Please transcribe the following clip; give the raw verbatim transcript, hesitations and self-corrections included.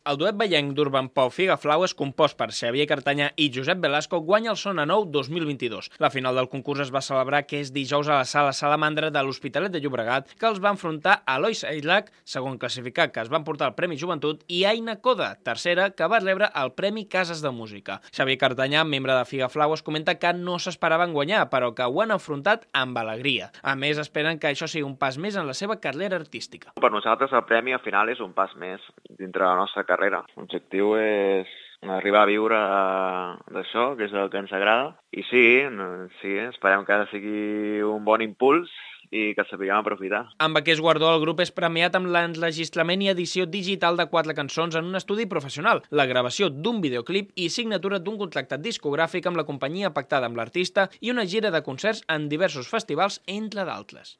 El duet ballenc d'Urban Pop Figaflaues, compost per Xavier Cartanyà i Josep Velasco, guanya el Sona Nou dos mil vint-i-dos. La final del concurs es va celebrar aquest dijous a la Sala Salamandra de l'Hospitalet de Llobregat, que els va enfrontar Eloi Sailac, segon classificat, que es va emportar el Premi Joventut, i Aina Coda, tercera, que va rebre el Premi Cases de Música. Xavier Cartanyà, membre de Figaflaues, comenta que no s'esperaven guanyar, però que ho han enfrontat amb alegria. A més, esperen que això sigui un pas més en la seva carrera artística. Per nosaltres el premi al final és un pas més dintre de la nostra carrera. L'objectiu és arribar a viure d'això, que és el que ens agrada. I sí, sí, esperem que sigui un bon impuls i que el sapiguem aprofitar. Amb aquest guardó, el grup és premiat amb l'enregistrament i edició digital de quatre cançons en un estudi professional, la gravació d'un videoclip i signatura d'un contracte discogràfic amb la companyia pactada amb l'artista i una gira de concerts en diversos festivals, entre d'altres.